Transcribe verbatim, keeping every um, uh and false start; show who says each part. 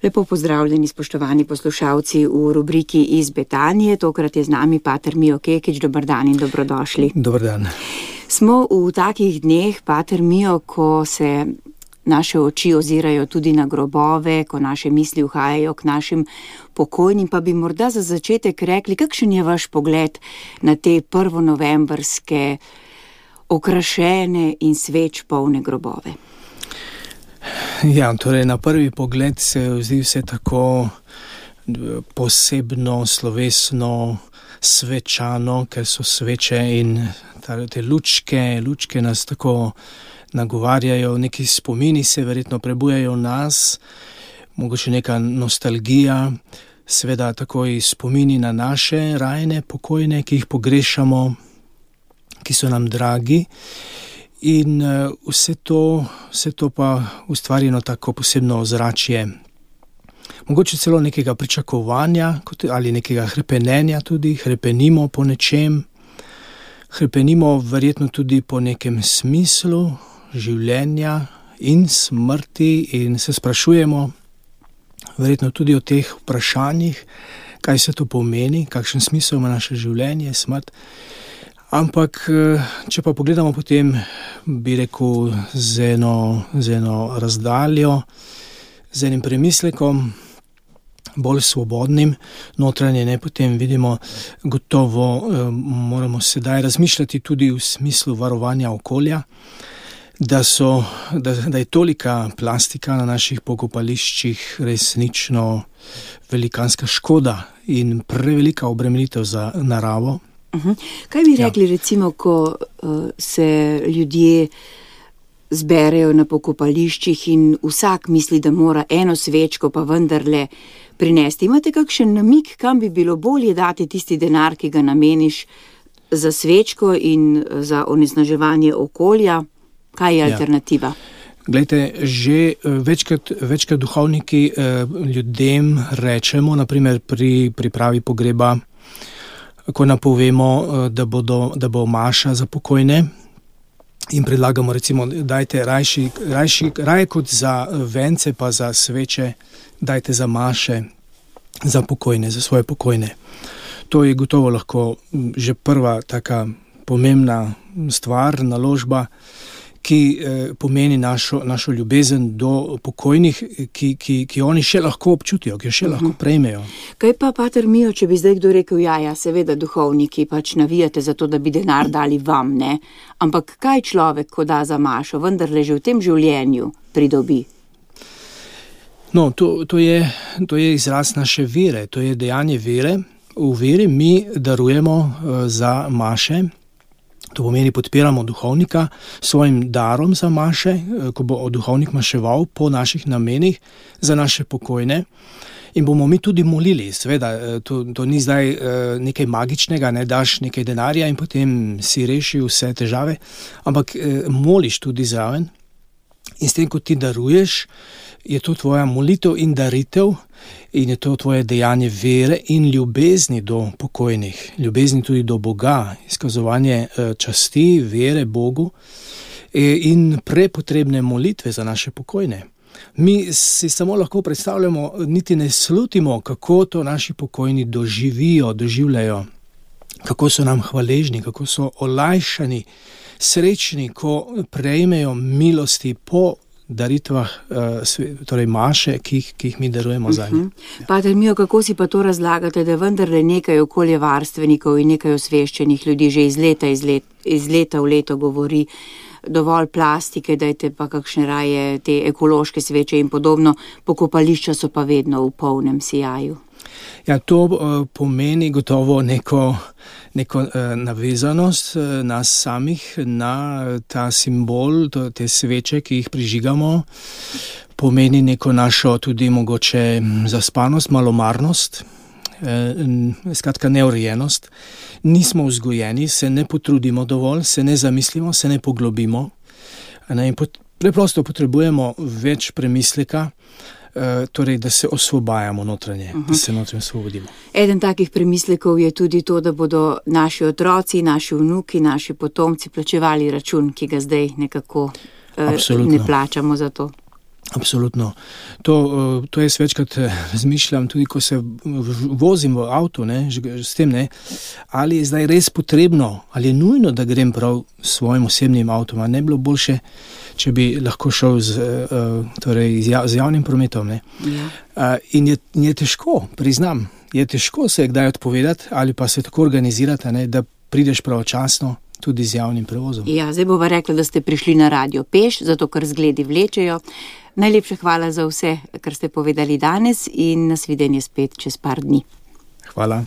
Speaker 1: Lepo pozdravljeni, spoštovani poslušalci v rubriki Iz Betanije. Tokrat je z nami pater Mijo Kekič. Dobar dan in dobrodošli.
Speaker 2: Dobar dan.
Speaker 1: Smo v takih dneh, pater Mijo, ko se naše oči ozirajo tudi na grobove, ko naše misli uhajajo k našim pokojnim, pa bi morda za začetek rekli, kakšen je vaš pogled na te prvonovembrske okrašene in sveč polne grobove?
Speaker 2: Ja, torej na prvi pogled se zdi vse tako posebno, slovesno, svečano, ker so sveče in te lučke, lučke nas tako nagovarjajo, neki spomini se verjetno prebujajo v nas, mogoče neka nostalgija, seveda tako i spomini na naše rajne pokojne, ki jih pogrešamo, ki so nam dragi. In uh, vse to, vse to pa ustvari eno tako posebno ozračje, mogoče celo nekega pričakovanja kot, ali nekega hrepenenja tudi, hrepenimo po nečem, hrepenimo verjetno tudi po nekem smislu življenja in smrti in se sprašujemo verjetno tudi o teh vprašanjih, kaj se to pomeni, kakšen smisel ima naše življenje, smrt. Ampak, če pa pogledamo potem, bi rekel, z eno, z eno razdaljo, z enim premislekom, bolj svobodnim, notranje ne, potem vidimo, gotovo moramo sedaj razmišljati tudi v smislu varovanja okolja, da, so, da, da je tolika plastika na naših pokopališčih resnično velikanska škoda in prevelika obremenitev za naravo.
Speaker 1: Uhum. Kaj bi rekli, ja. recimo, ko uh, se ljudje zberejo na pokopališčih in vsak misli, da mora eno svečko pa vendarle prinesti? Imate kakšen namig, kam bi bilo bolje dati tisti denar, ki ga nameniš za svečko in za onesnaževanje okolja? Kaj je alternativa?
Speaker 2: Ja. Glejte, že večkrat, večkrat duhovniki eh, ljudem rečemo, naprimer pri pripravi pogreba, ko napovemo, da, bodo, da bo maša za pokojne in predlagamo recimo, dajte rajši, rajši, raje kot za vence pa za sveče, dajte za maše za pokojne, za svoje pokojne. To je gotovo lahko že prva taka pomembna stvar, naložba, ki eh, pomeni našo, našo ljubezen do pokojnih, ki, ki, ki oni še lahko občutijo, ki jo še uh-huh. lahko prejmejo.
Speaker 1: Kaj pa, pater Mijo, če bi zdaj kdo rekel, ja, ja, seveda duhovniki pač navijate za to, da bi denar dali vam, ne? Ampak kaj človek, ko da za mašo, vendarle že v tem življenju pridobi?
Speaker 2: No, to, to, je, to je izraz naše vere, to je dejanje vere. V veri mi darujemo uh, za maše. To pomeni, podpiramo duhovnika svojim darom za maše, ko bo duhovnik maševal po naših namenih za naše pokojne. In bomo mi tudi molili, seveda, to, to ni zdaj nekaj magičnega, ne daš nekaj denarja in potem si reši vse težave, ampak moliš tudi zraven. In s tem, ko ti daruješ, je to tvoja molitev in daritev in je to tvoje dejanje vere in ljubezni do pokojnih, ljubezni tudi do Boga, izkazovanje časti, vere Bogu in prepotrebne molitve za naše pokojne. Mi si samo lahko predstavljamo, niti ne slutimo, kako to naši pokojni doživijo, doživljajo, kako so nam hvaležni, kako so olajšani, srečni, ko prejmejo milosti po daritvah, torej maše, ki jih, ki jih mi darujemo za njih.
Speaker 1: Uh-huh. Pater Mijo, kako si pa to razlagate, da vendarle nekaj okoljevarstvenikov in nekaj osveščenih ljudi že iz leta, iz let, iz leta v leto govori, dovolj plastike, dajte pa kakšne raje te ekološke sveče in podobno, pokopališča so pa vedno v polnem sijaju.
Speaker 2: Ja, to uh, pomeni gotovo neko, neko uh, navezanost uh, nas samih na ta simbol, to, te sveče, ki jih prižigamo. Pomeni neko našo tudi mogoče zaspanost, malomarnost, uh, skratka neurejenost. Nismo vzgojeni, se ne potrudimo dovolj, se ne zamislimo, se ne poglobimo. Ne, in pot, preprosto potrebujemo več premisleka, torej, da se osvobajamo notranje, uh-huh. da se notranje osvobodimo.
Speaker 1: Eden takih premislekov je tudi to, da bodo naši otroci, naši vnuki, naši potomci plačevali račun, ki ga zdaj nekako uh, ne plačamo za to.
Speaker 2: Absolutno. To, to jaz večkrat razmišljam, tudi ko se vozim v avtu, ne, s tem, ne, ali je zdaj res potrebno, ali je nujno, da grem prav s svojim osebnim avtom, a ne bilo boljše, če bi lahko šel z, torej, z javnim prometom. Ne. Ja. In je, je težko, priznam, je težko se kdaj odpovedati ali pa se tako organizirati, ne, da prideš pravočasno tudi z javnim prevozom.
Speaker 1: Ja, zdaj bova rekla, da ste prišli na radio peš, zato ker zgledi vlečejo. Najlepša hvala za vse, kar ste povedali danes in nasvidenje spet čez par dni.
Speaker 2: Hvala.